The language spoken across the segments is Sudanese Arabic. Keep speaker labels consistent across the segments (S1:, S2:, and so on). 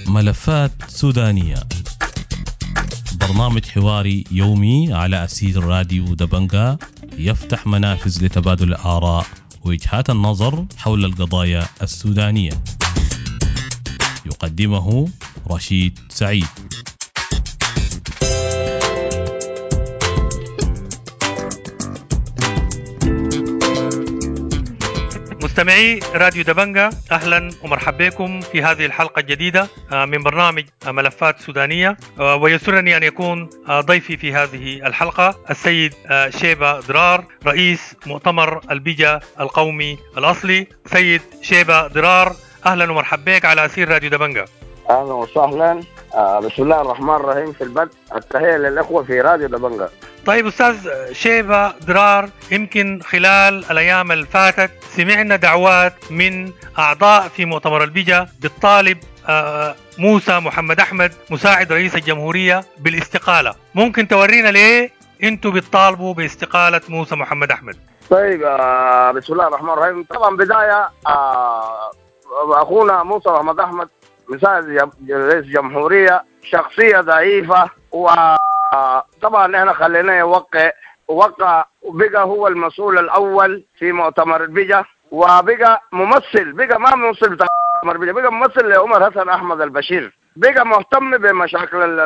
S1: ملفات سودانية، برنامج حواري يومي على أسير راديو دبنجا، يفتح منافذ لتبادل الآراء ووجهات النظر حول القضايا السودانية. يقدمه رشيد سعيد.
S2: مستمعي راديو دبنجا، أهلا ومرحبا بكم في هذه الحلقة الجديدة من برنامج ملفات سودانية، ويسرني أن يكون ضيفي في هذه الحلقة السيد شيبة ضرار، رئيس مؤتمر البجا القومي الأصلي. سيد شيبة ضرار، أهلا ومرحبا بك على أسير راديو دبنجا.
S3: أهلا وسهلا. بسم الله الرحمن الرحيم. في البدء التحية للإخوة في راديو دبنجا.
S2: طيب أستاذ شيبة ضرار، يمكن خلال الأيام اللي فاتت سمعنا دعوات من أعضاء في مؤتمر البجا بالطالب موسى محمد أحمد مساعد رئيس الجمهورية بالاستقالة. ممكن تورينا ليه أنتوا بتطالبوا باستقالة موسى محمد أحمد؟
S3: طيب بسم الله الرحمن الرحيم. طبعا بداية أخونا موسى محمد أحمد مساعد رئيس الجمهورية شخصية ضعيفة، وطبعا احنا خليناه يوقع وقع وبقى هو المسؤول الاول في مؤتمر البجا، وبقى ممثل، بقى ما ممثل بتاع مؤتمر البجا، بقى ممثل لعمر حسن احمد البشير، بقى مهتم بمشاكل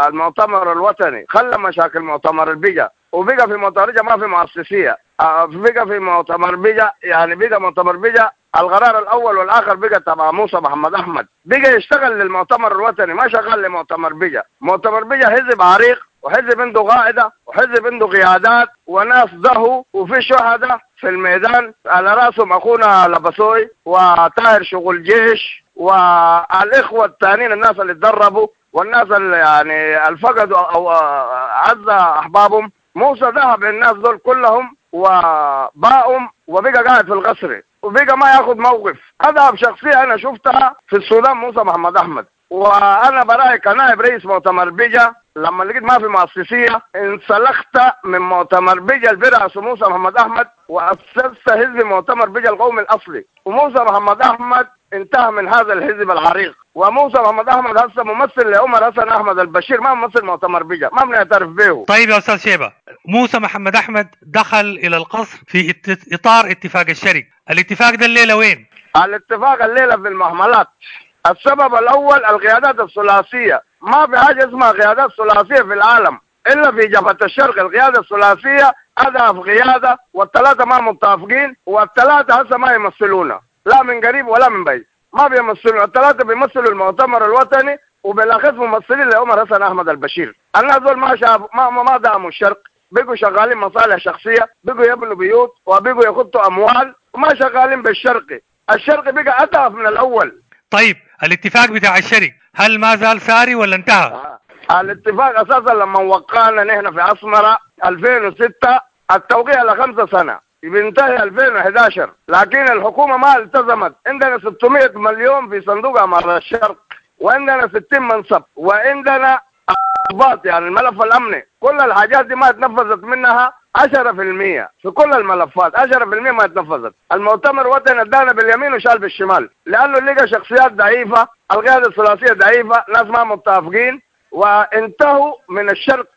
S3: المؤتمر الوطني، خلى مشاكل مؤتمر البجا، وبقى في مؤتمر البجا ما في مؤسسيه، بقى في مؤتمر بجا يعني بقى مؤتمر بجا القرار الاول والاخر بقى تبع موسى محمد احمد، بقى يشتغل للمؤتمر الوطني ما شغال لمؤتمر بجا. مؤتمر بجا حزب عريق، وحزب عنده قاعدة، وحزب عنده قيادات وناس ضهوا، وفي شهداء في الميدان على راسهم اخونا لبسوي وطاهر شغل جيش والاخوة الثانيين، الناس اللي تدربوا والناس اللي يعني الفقدوا او عز احبابهم. موسى ذهب للناس دول كلهم وباعهم، وبقى قاعد في القصر وبقى ما ياخذ موقف. اذهب شخصية انا شفتها في السودان موسى محمد احمد، وانا براي كنائب رئيس مؤتمر بجا لما لقيت ما في مؤسسيه انسلخت من مؤتمر بجا البرأس موسى محمد احمد، واسست حزب مؤتمر بجا القومي الاصلي. وموسى محمد احمد انتهى من هذا الحزب العريق، وموسى محمد احمد هسه ممثل لعمر حسن احمد البشير، ما ممثل مؤتمر بجا، ما بنعترف به.
S2: طيب يا استاذ شيبة، موسى محمد احمد دخل الى القصر في اطار اتفاق الشرق، الاتفاق ده الليلة وين؟
S3: الاتفاق الليلة في المهملات. السبب الاول القيادات الثلاثية، ما في حاجة اسمها قيادات ثلاثية في العالم الا في جبهة الشرق. القيادة الثلاثية اضعف قيادة، والثلاثة ما متفقين، والثلاثة هسه ما يمثلونا لا من قريب ولا من بعيد، ما بيمثلون. الثلاثة بيمثلوا المؤتمر الوطني، وبالاخص ممثلين لعمر حسن احمد البشير. الناس دول ما شاف ما دعموا الشرق، بقوا شغالين مصالح شخصية، بقوا يبنوا بيوت وبقوا يخطوا اموال، وما شغالين بالشرقي. الشرقي بقى اضعف من الاول.
S2: طيب الاتفاق بتاع الشرق هل ما زال ساري ولا انتهى؟
S3: الاتفاق اساسا لما وقعنا نحن في اسمره 2006 التوقيع ل5 سنة بينتهي 2011، لكن الحكومة ما التزمت. عندنا 600 مليون في صندوق عمارة الشرق، وعندنا 60 منصب، وعندنا ضباط يعني الملف الامني، كل الحاجات دي ما اتنفذت منها 10% في كل الملفات، 10% ما اتنفذت. المؤتمر الوطني ادانا باليمين وشال بالشمال، لانه لقى شخصيات ضعيفة، القيادة الثلاثية ضعيفة، ناس ما متفقين، وانتهوا من الشرق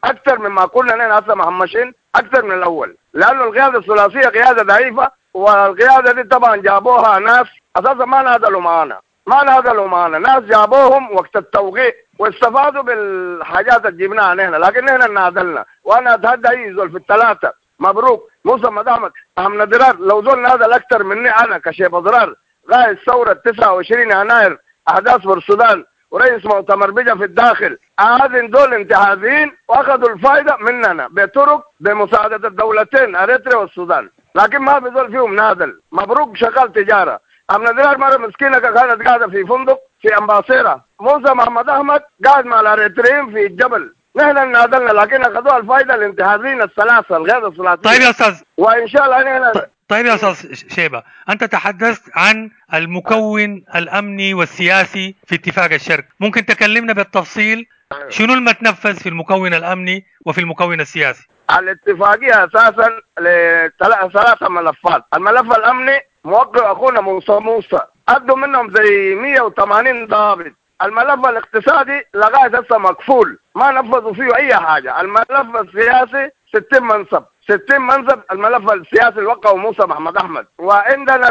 S3: اكثر مما كنا نحن هسه مهمشين اكثر من الاول، لانه القيادة الثلاثية قيادة ضعيفة، والقيادة دي طبعا جابوها ناس اساسا ما نادلوا معانا، ما نادلوا معانا، ناس جابوهم وقت التوقيع واستفادوا بالحاجات اللي جبناها نحن، لكن نحن نادلنا. وانا اتهدى اي زول في الثلاثة، مبروك موسى محمد احمد احمد ضرار، لو زول نادل اكثر مني انا كشيبه ضرار قائد ثورة 29 يناير احداث السودان ورئيس مؤتمر بجا في الداخل، هذين دول انتهازيين واخذوا الفائدة مننا بطرق بمساعدة الدولتين اريتريا والسودان، لكن ما في زول فيهم نادل. مبروك شغال تجارة، امنا ضرار مرة مسكينه كانت قاعدة في فندق في امباسيرا، موسى محمد احمد قاعد مع الاريتريين في الجبل، نحن نادلنا لكن اخذوها الفائدة الانتهازيين الثلاثة الغير الثلاثية.
S2: طيب يا استاذ،
S3: وان شاء الله نحن
S2: طيب يا استاذ شيبة، انت تحدثت عن المكون الامني والسياسي في اتفاق الشرق، ممكن تكلمنا بالتفصيل شنو المتنفذ في المكون الامني وفي المكون السياسي؟
S3: الاتفاقية اساسا لثلاثة ملفات. الملف الامني موقع اخونا موسى ادوا منهم زي 180 ضابط. الملف الاقتصادي لغاية هسه مقفول، ما نفذوا فيه اي حاجة. الملف السياسي 60 منصب، 60 منصب الملف السياسي اللي وقعه موسى محمد احمد. وعندنا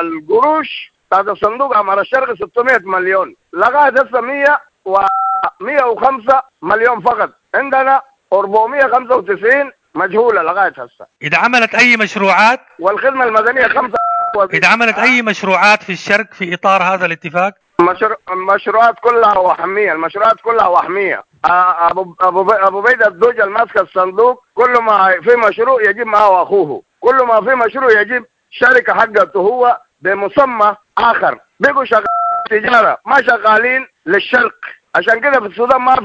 S3: القروش بتاعت الصندوق عمار الشرق 600 مليون، لغاية هسه 105 مليون فقط. عندنا 495 مجهولة لغاية هسه.
S2: اذا عملت اي مشروعات
S3: والخدمة المدنية 5.
S2: اذا عملت اي مشروعات في الشرق في اطار هذا الاتفاق؟
S3: المشروعات كلها وهمية، المشروعات كلها وهمية. ابو بيد الدوجه ماسك الصندوق، كل ما في مشروع يجيب معه اخوه، كل ما في مشروع يجيب شركة حقته هو بمسمى اخر. بيقوا شغالين تجارة، ما شغالين للشرق. عشان كده في السودان ما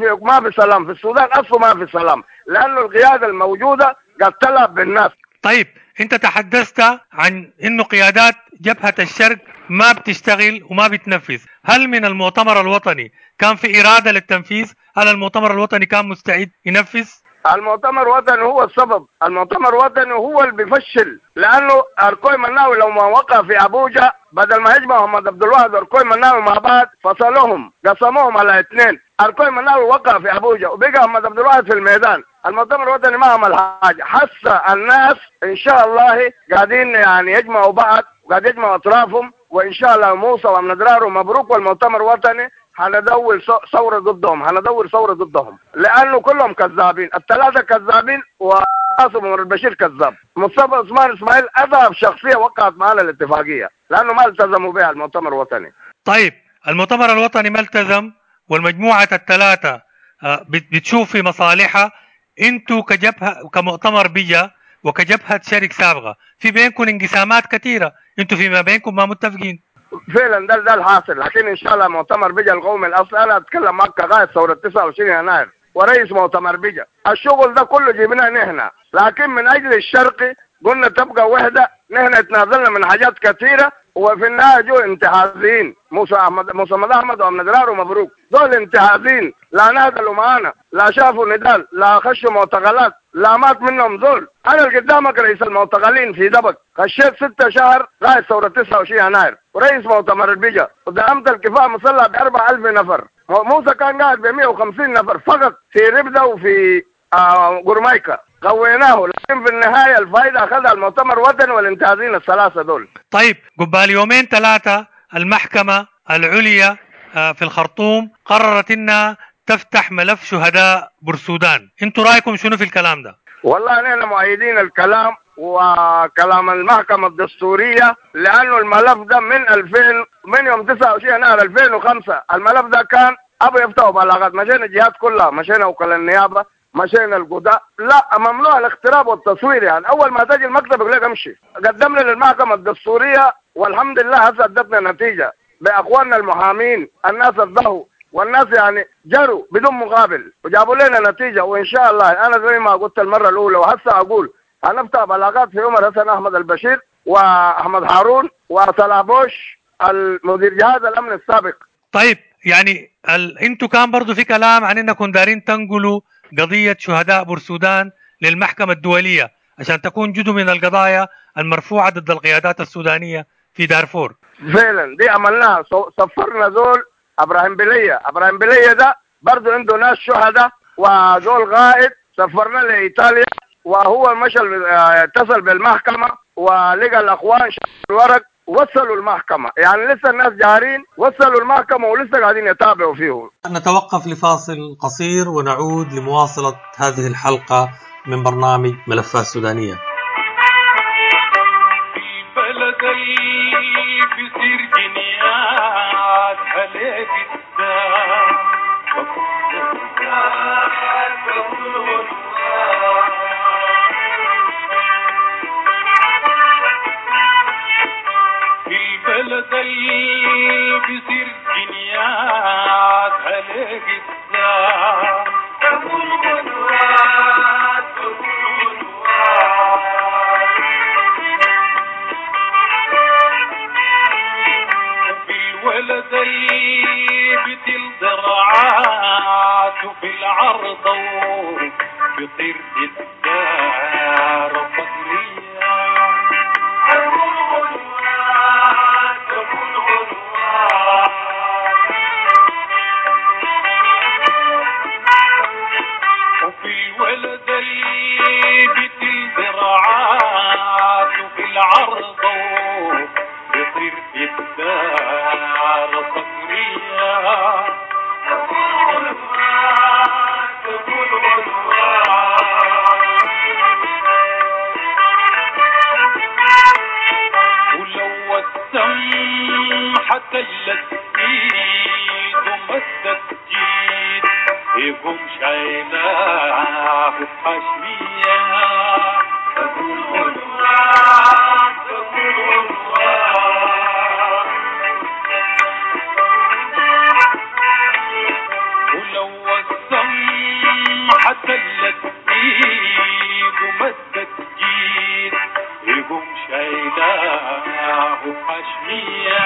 S3: في سلام، في السودان اصلا ما في سلام، لانه القيادة الموجودة قد تلعب بالناس.
S2: طيب انت تحدثت عن انه قيادات جبهة الشرق ما بتشتغل وما بتنفذ، هل من المؤتمر الوطني كان في إرادة للتنفيذ؟ هل المؤتمر الوطني كان مستعد ينفذ؟
S3: المؤتمر الوطني هو السبب، المؤتمر الوطني هو اللي بيفشل، لأنه أركوي مناوي لو ما وقع في أبوجا بدل ما يجمع محمد عبد الواحد وأركوي مناوي مع بعض فصلوهم، قسموهم على اثنين. أركوي مناوي وقع في أبوجا وبقى محمد عبد الواحد في الميدان. المؤتمر الوطني ما عمل حاجة. حس الناس إن شاء الله قاعدين يعني يجمعوا بعض، وقاعد يجمعوا أطرافهم، وإن شاء الله موسى وأمن درار ومبروك والمؤتمر الوطني هندور ثورة ضدهم، هندور ثورة ضدهم، لأنه كلهم كذابين، الثلاثة كذابين وعاصم عمر البشير كذاب. مصطفى عثمان إسماعيل أضعف شخصية وقعت معنا الاتفاقية، لأنه ما التزموا بها المؤتمر الوطني.
S2: طيب المؤتمر الوطني ما التزم، والمجموعة الثلاثة بتشوف في مصالحها. انتوا كجبهة كمؤتمر بيجا وكجبهة شرق سابقة في بينكم انقسامات كثيرة، انتوا فيما بينكم ما متفقين.
S3: فعلا ده الحاصل، لكن ان شاء الله مؤتمر بيجا القومي الاصل، انا اتكلم معك كغايه ثورة 29 يناير ورئيس مؤتمر بيجا، الشغل ده كله جبناه نحن، لكن من اجل الشرقي قلنا تبقى وحده، نحن تنازلنا من حاجات كثيرة، وفي النهاية جو انتهازيين، موسى محمد احمد وامن درار ومبروك، دول انتهازيين، لا نازلوا معانا، لا شافوا نضال، لا خشوا معتقلات، لا مات منهم زول. انا اللي قدامك رئيس المعتقلين في دبك، خشيت 6 شهر غاية ثورة 29 يناير، ورئيس مؤتمر البيجا، ودعمت الكفاح مسلح ب 4000 نفر، موسى كان قاعد ب 150 نفر فقط في ربده وفي قرمايكا، قويناه، لكن في النهاية الفائدة اخذها المؤتمر الوطني والانتهازين الثلاثة دول.
S2: طيب قبال يومين 3 المحكمة العليا في الخرطوم قررت انها تفتح ملف شهداء بورسودان، انتوا رايكم شنو في الكلام ده؟
S3: والله نحن مؤيدين الكلام وكلام المحكمة الدستورية، لأنه الملف ده من يوم 29 يناير 2005 الملف ده كان أبو يفتحوا بلاغات، مشينا الجهات كلها، مشينا وكلاء النيابة، مشينا القضاء، لا ممنوع الاقتراب والتصوير، يعني أول ما تجي المكتب يقول لك امشي. قدمنا للمحكمة الدستورية والحمد لله هسه ادتنا نتيجة بأخواننا المحامين، الناس الضهوا والناس يعني جروا بدون مقابل وجابوا لنا نتيجة. وإن شاء الله أنا زي ما قلت المرة الأولى وهسه أقول هنفتح بلاغات في عمر حسن أحمد البشير وأحمد هارون وصلاح بوش المدير جهاز الأمن السابق.
S2: طيب يعني انتوا كان برضو في كلام عن انكم دارين تنقلوا قضية شهداء بورسودان للمحكمة الدولية عشان تكون جزء من القضايا المرفوعة ضد القيادات السودانية في دارفور.
S3: فعلا دي عملناها، سفرنا زول ابراهيم بلية، ابراهيم بلية ده برضو عنده ناس شهداء وزول غائب، سفرنا لإيطاليا وهو مشى اتصل بالمحكمة ولقى الأخوان الورق وصلوا المحكمة، يعني لسه الناس جارين وصلوا المحكمة ولسه قاعدين يتابعوا فيه.
S2: نتوقف لفاصل قصير ونعود لمواصلة هذه الحلقة من برنامج ملفات سودانية.
S4: الولد اللي بتل ضرعاته في العرض بيطير في الدار فقرية. تكون غنوات تكون غنوات. وفي الولد اللي بتل ذراعاته في العرض بيطير في الدار فقرية. تكون غنوات تكون غنوات. ولو السمحة تلت ايد ومدت جيد يقوم شايلاه بحشمية. تكون غنوات تكون غنوات. ولو السمحة تلت ايد ومدت جيد يقوم شايلاه بحشمية.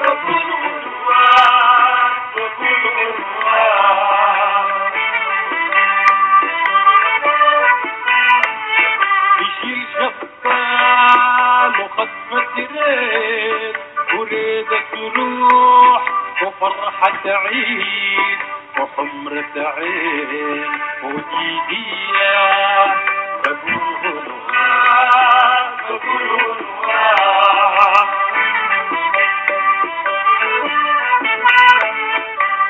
S4: تكون غنوات تكون غنوات. يشيل شبال وخطفة ريد وريدة تروح وفرحة عيد وحمرة عين وجيدية. تكون غنوات تكون غنوات.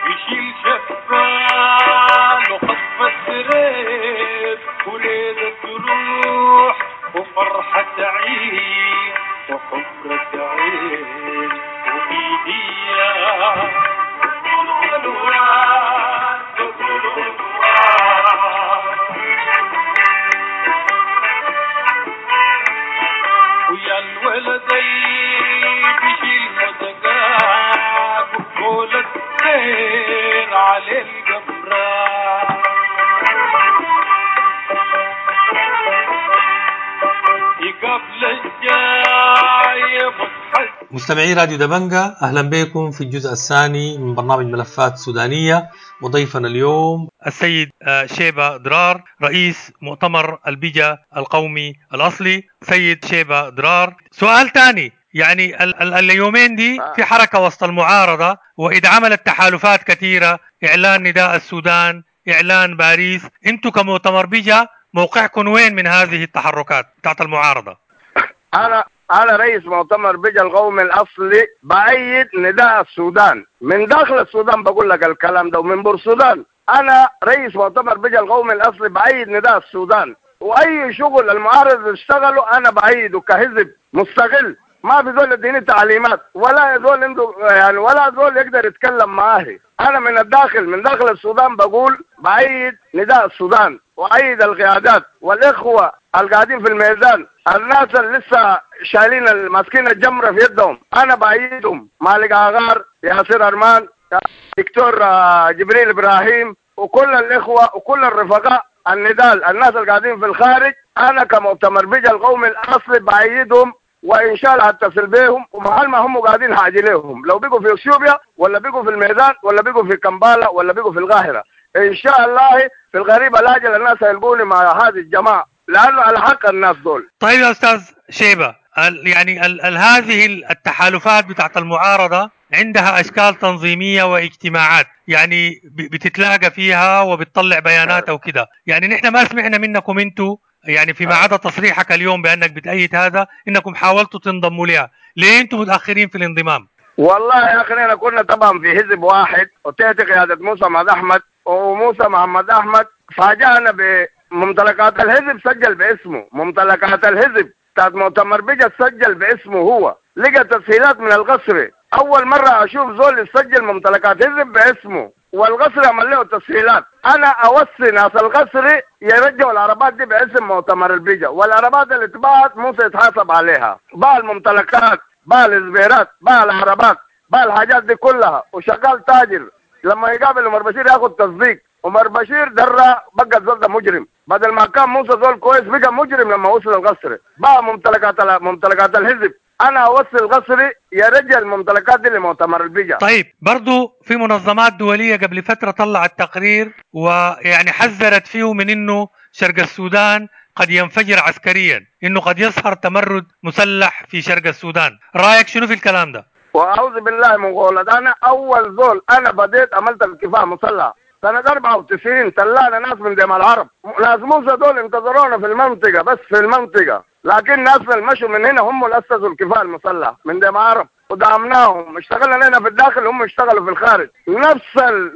S4: يشيل شبال وخطفة ريد وريدة تروح وفرحة عيد وحمرة عين وإيدية. تكون غنوات تكون غنوات. ويا الولد اللي بيشيل مدقاق وقولة خير على القمران. يقابل الجاي متحس.
S5: مستمعي راديو دبنجا، أهلا بكم في الجزء الثاني من برنامج ملفات سودانية، وضيفنا اليوم
S2: السيد شيبة درار، رئيس مؤتمر البجا القومي الأصلي. سيد شيبة درار، سؤال ثاني، يعني اليومين دي في حركة وسط المعارضة وإذا عملت تحالفات كثيرة، إعلان نداء السودان، إعلان باريس، أنتم كمؤتمر بجا موقعكم وين من هذه التحركات بتاعت المعارضة؟
S3: أنا رئيس مؤتمر بجا القومي الأصلي، بأيد نداء السودان من داخل السودان، بقول لك الكلام ده، ومن بورسودان. أنا رئيس مؤتمر بجا القومي الأصلي بأيد نداء السودان، وأي شغل المعارض اشتغلوا أنا بأيده كحزب مستقل. ما في زول يديني تعليمات ولا زول عنده يعني ولا زول يقدر يتكلم معاه. أنا من الداخل، من داخل السودان بقول بأيد نداء السودان وأيد القيادات والإخوة القاعدين في الميدان، الناس اللي لسه شايلين ماسكين الجمرة في يدهم، أنا بأيدهم. مالك عغار، ياسر أرمان، دكتور جبريل إبراهيم، وكل الإخوة وكل الرفقاء الندال، الناس اللي قاعدين في الخارج، أنا كمؤتمر بجا القومي الأصلي بأيدهم، وإن شاء الله هتصل بيهم، ومحل ما هم قاعدين هاجي لهم، لو بقوا في اثيوبيا ولا بقوا في الميدان ولا بقوا في كمبالا ولا بقوا في القاهرة، إن شاء الله في الغريب الأجل الناس هيلقوني مع هذه الجماعة، لأنه على حق الناس دول.
S2: طيب يا أستاذ شيبة، يعني هذه التحالفات بتاعت المعارضة عندها أشكال تنظيمية واجتماعات، يعني بتتلاقى فيها وبتطلع بيانات أو كده، يعني نحن ما سمعنا منكم أنتوا، يعني فيما عدا تصريحك اليوم بأنك بتأيد هذا، إنكم حاولتوا تنضموا لها، ليه أنتم متأخرين في الانضمام؟
S3: والله يا أخي أنا كنا طبعا في حزب واحد وتحت قيادة موسى محمد أحمد، وموسى محمد أحمد فاجأنا بممتلكات الحزب، سجل باسمه ممتلكات الحزب بتاعت مؤتمر بجا، سجل باسمه هو، لقى تسهيلات من القصر. أول مرة أشوف زول يسجل ممتلكات حزب باسمه، والقصر عمل له تسهيلات. أنا أوصي ناس القصر يرجعوا العربات دي باسم مؤتمر البيجا، والعربات اللي اتباعت موسى يتحاسب عليها، باع الممتلكات، باع الإزبيرات، باع العربات، باع الحاجات دي كلها، وشغال تاجر. لما يقابل عمر بشير ياخذ تصديق، عمر بشير درى بقى الزول ده مجرم، بدل ما كان موسى زول كويس بقى مجرم لما وصل القصر، باع ممتلكات الحزب. انا اوصل قصري يرجع الممتلكات دي لمؤتمر البيجا.
S2: طيب برضو في منظمات دولية قبل فترة طلعت تقرير ويعني حذرت فيه من انه شرق السودان قد ينفجر عسكريا، انه قد يظهر تمرد مسلح في شرق السودان. رايك شنو في الكلام ده؟
S3: واعوذ بالله من قولة، انا اول زول انا بديت عملت الكفاح مسلح سنة 94، طلعنا ناس من دم العرب، ناس موسى دول انتظرونا في المنطقة، بس في المنطقة، لكن ناس اللي مشوا من هنا هم اللي اسسوا الكفاح المسلح من دم العرب ودعمناهم، اشتغلنا هنا في الداخل هم اشتغلوا في الخارج.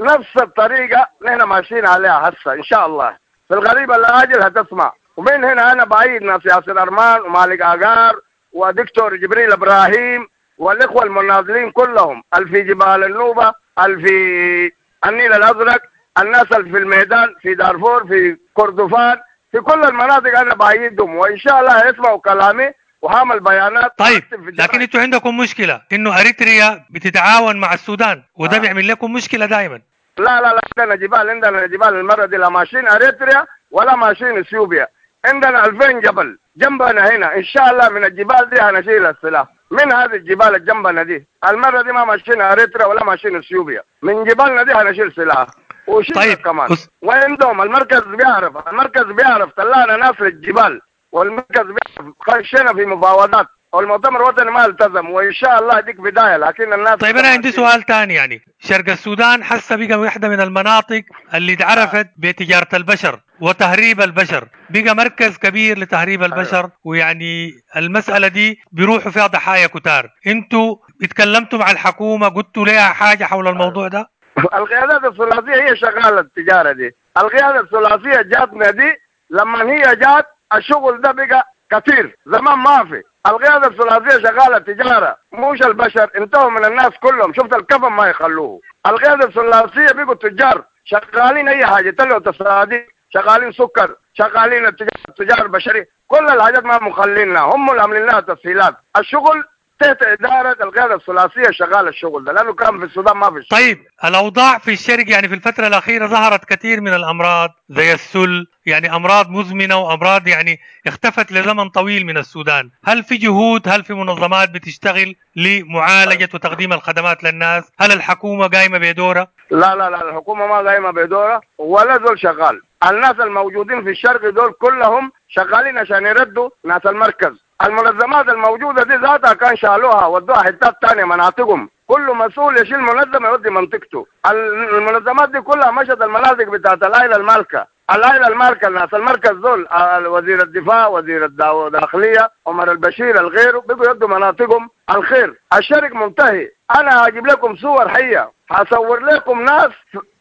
S3: نفس الطريقة نحن ماشيين عليها هسه ان شاء الله في الغريب العاجل هتسمع. ومن هنا انا بعيد ناس ياسر ارمان ومالك عقار ودكتور جبريل ابراهيم والاخوة المناضلين كلهم، اللي في جبال النوبة، اللي في النيل الازرق، الناس اللي في الميدان، في دارفور، في كردفان، في كل المناطق انا بعيدهم، وان شاء الله يسمعوا كلامي وهعمل بيانات.
S2: طيب لكن انتوا عندكم مشكلة انه اريتريا بتتعاون مع السودان، وده بيعمل لكم مشكلة دائما.
S3: لا لا لا، عندنا جبال، عندنا جبال المرة دي لا ماشيين اريتريا ولا ماشيين اثيوبيا، عندنا 2000 جبل جنبنا هنا، ان شاء الله من الجبال دي هنشيل السلاح من هذه الجبال اللي جنبنا دي. المرة دي ما ماشيين اريتريا ولا ماشيين اثيوبيا، من جبالنا دي هنشيل سلاح وشيل.
S2: طيب
S3: كمان وعندهم المركز بيعرف، المركز بيعرف طلعنا ناس للجبال، والمركز بيعرف خشينا في مفاوضات، والمؤتمر الوطني ما التزم، وان شاء الله ديك بداية. لكن الناس.
S2: طيب انا عندي سؤال ثاني، يعني شرق السودان حسه بقى واحدة من المناطق اللي اتعرفت بتجارة البشر وتهريب البشر، بقى مركز كبير لتهريب البشر. ويعني المسالة دي بيروحوا فيها ضحايا كتار. انتوا اتكلمتوا مع الحكومة، قلتوا لها حاجة حول الموضوع ده؟
S3: القيادات الثلاثية هي شغالة التجارة دي. القيادة الثلاثية جاتنا دي، لما هي جات الشغل ده بقى كثير، زمان ما في. القيادة الثلاثية شغالة تجارة، مش البشر، انتهوا من الناس كلهم، شفت الكفن ما يخلوه. القيادة الثلاثية بقوا تجار شغالين اي حاجة، طلعوا تصاديق، شغالين سكر، شغالين التجارة البشرية، كل الحاجات ما مخلينها، هم اللي عاملين لها تسهيلات. الشغل تحت إدارة القيادة الثلاثية شغال الشغل ده، لأنه كان في السودان ما في شغل.
S2: طيب الأوضاع في الشرق يعني في الفترة الأخيرة ظهرت كثير من الأمراض زي السل، يعني أمراض مزمنة وأمراض يعني اختفت لزمن طويل من السودان. هل في جهود، هل في منظمات بتشتغل لمعالجة وتقديم الخدمات للناس؟ هل الحكومة قايمة بدورها؟
S3: لا لا لا، الحكومة ما قايمة بدورها ولا زول شغال. الناس الموجودين في الشرق دول كلهم شغالين عشان يردوا ناس المركز. المنظمات الموجودة دي ذاتها كان شالوها ودوها حتات تانية مناطقهم، كل مسؤول يشيل منظمة يودي منطقته. المنظمات دي كلها مشت المناطق بتاعت العائلة المالكة، العائلة المالكة الناس المركز دول، وزير الدفاع، وزير الداخلية، عمر البشير، الغير، بقوا يدوا مناطقهم الخير. الشرق منتهي. انا هجيب لكم صور حية، هصور لكم ناس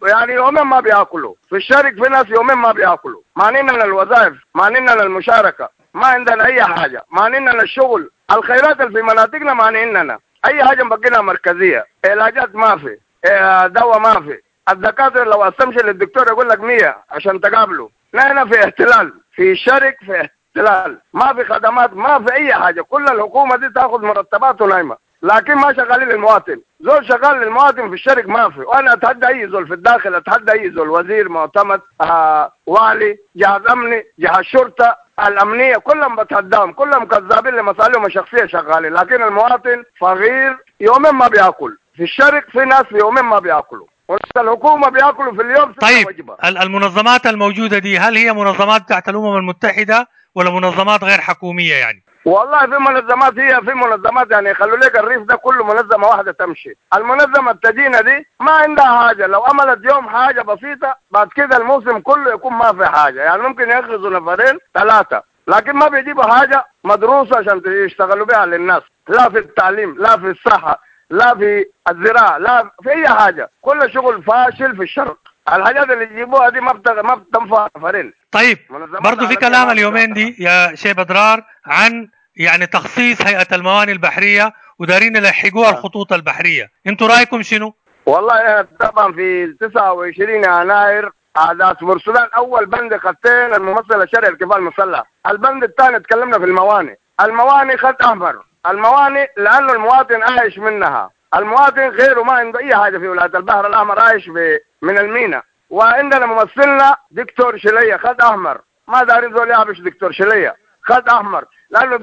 S3: يعني يومين ما بياكلوا في الشرق، في ناس يومين ما بياكلوا. مانعنا الوظائف، مانعنا المشاركة، ما عندنا اي حاجة، مانعنا الشغل، الخيرات اللي في مناطقنا مانعنا اي حاجة، مبقينا مركزية، علاجات ما في، دواء ما في، الدكاترة لو استمشي للدكتور يقول لك 100 عشان تقابله. نحن في احتلال في الشرق، في احتلال، ما في خدمات، ما في اي حاجة، كل الحكومة دي تاخذ مرتبات ونايمه، لكن ما شغالين للمواطن. زول شغال للمواطن في الشرق ما في. وانا اتحدى اي زول في الداخل، اتحدى اي زول، وزير، معتمد، والي، جهاز امني، جهاز شرطه الامنية، كلهم بتحداهم، كلهم كذابين لمصالحهم الشخصية شغالين. لكن المواطن فقير يومين ما بياكل في الشرق، في ناس يومين ما بياكلوا، الحكومة بياكلوا في اليوم.
S2: طيب وجبة. المنظمات الموجودة دي هل هي منظمات بتاعت الامم المتحدة ولا منظمات غير حكومية يعني؟
S3: والله في منظمات، هي في منظمات يعني يخلوا لك الريف ده كله منظمة واحدة تمشي. المنظمة التدينه دي ما عندها حاجة، لو عملت يوم حاجة بسيطة بعد كده الموسم كله يكون ما في حاجة، يعني ممكن ياخذوا نفرين ثلاثة، لكن ما بيجيبوا حاجة مدروسة عشان يشتغلوا بها للناس، لا في التعليم، لا في الصحة، لا في الزراعة، لا في اي حاجة، كل شغل فاشل في الشرق. الحاجات اللي يجيبوها دي ما بتنفع نفرين.
S2: طيب برضه في كلام اليومين دي يا شيخ بدرار عن يعني تخصيص هيئة الموانئ البحرية ودارين يلحقوها الخطوط البحرية، انتوا رايكم شنو؟
S3: والله طبعا في 29 يناير احداث بورسودان اول بند خطين الممثل الشرعي الكفاء المسلح، البند الثاني تكلمنا في الموانئ، الموانئ خط احمر، الموانئ لانه المواطن عايش منها، المواطن غيره ما عنده اي حاجة في ولاية البحر الاحمر، عايش من المينا. وعندنا ممثلنا دكتور شليه خط احمر، ما دارين زول يعبش دكتور شليه. خط احمر، لانه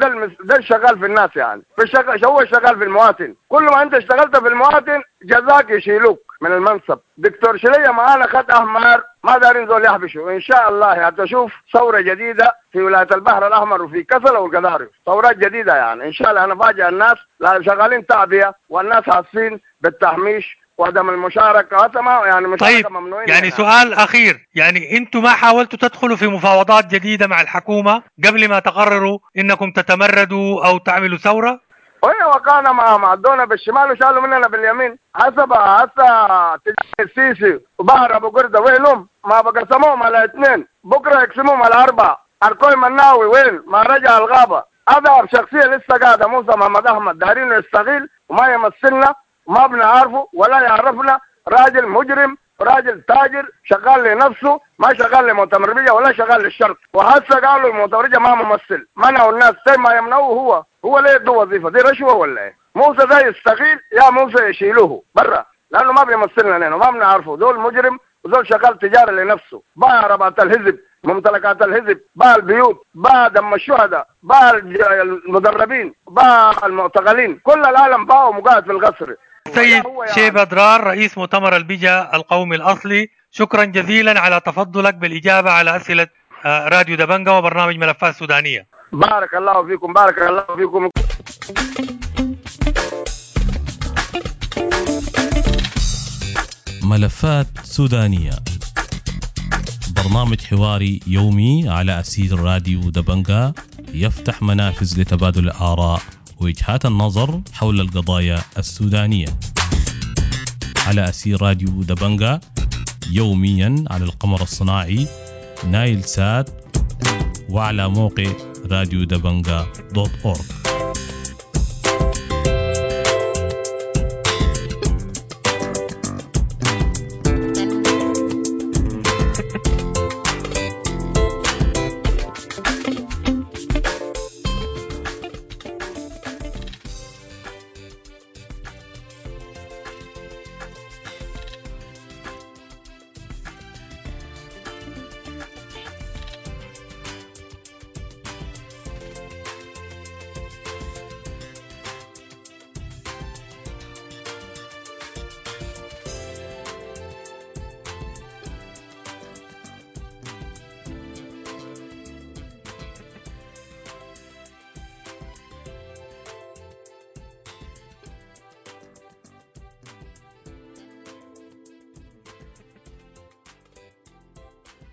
S3: ده الشغال في الناس يعني، في الشغل هو شغال في المواطن. كل ما انت اشتغلت في المواطن جزاك يشيلوك من المنصب. دكتور شليه معانا خط احمر، ما دارين زول يحبشوا. ان شاء الله هتشوف ثورة جديدة في ولاية البحر الاحمر وفي كسلا والقضارف، ثورات جديدة يعني ان شاء الله. انا فاجئ الناس، لا شغالين تعبئة والناس حاسين بالتهميش وعدم المشاركة، هذا ما يعني مشاركة.
S2: طيب
S3: ممنوعين
S2: يعني سؤال اخير، يعني انتم ما حاولتوا تدخلوا في مفاوضات جديدة مع الحكومة قبل ما تقرروا انكم تتمردوا او تعملوا ثورة؟
S3: وهي وقعنا مع ادونا بالشمال وشالوا مننا باليمين. حسب هسه السيسي وبحر ابو قردة وينهم؟ ما بقسموهم على اثنين، بكره يقسموهم على اربعة. اركوي مناوي وين؟ ما رجع الغابة. اضعف شخصية لسه قاعدة موسى محمد احمد، دارينه يستغيل وما يمثلنا وما بنعرفه ولا يعرفنا. راجل مجرم، راجل تاجر، شغال لنفسه، ما شغال لمؤتمرية ولا شغال للشرق. وهسه قالوا المؤتمرية ما ممثل، منعوا الناس زي ما يمنعوه هو. هو ليه يدوه وظيفة دي؟ رشوة ولا ايه؟ موسى ده يستغيل، يا موسى يشيلوه برا، لانه ما بيمثلنا لنا وما بنعرفه. دول مجرم وزول شغال تجارة لنفسه، باع عربات الحزب، ممتلكات الحزب، باع البيوت، باع دم الشهداء، باع المدربين، باع المعتقلين، كل العالم باعوا مقاعد في القصر.
S2: سيد
S3: هو يعني.
S2: شيبة درار رئيس مؤتمر البجا القومي الأصلي، شكرا جزيلا على تفضلك بالإجابة على أسئلة راديو دبنجا وبرنامج ملفات سودانية.
S3: بارك الله فيكم، بارك الله فيكم.
S1: ملفات سودانية، برنامج حواري يومي على أسير راديو دبنجا، يفتح منافذ لتبادل الآراء ووجهات النظر حول القضايا السودانية على أسير راديو دبنجا، يوميا على القمر الصناعي نايل سات وعلى موقع راديو دبنجا .org.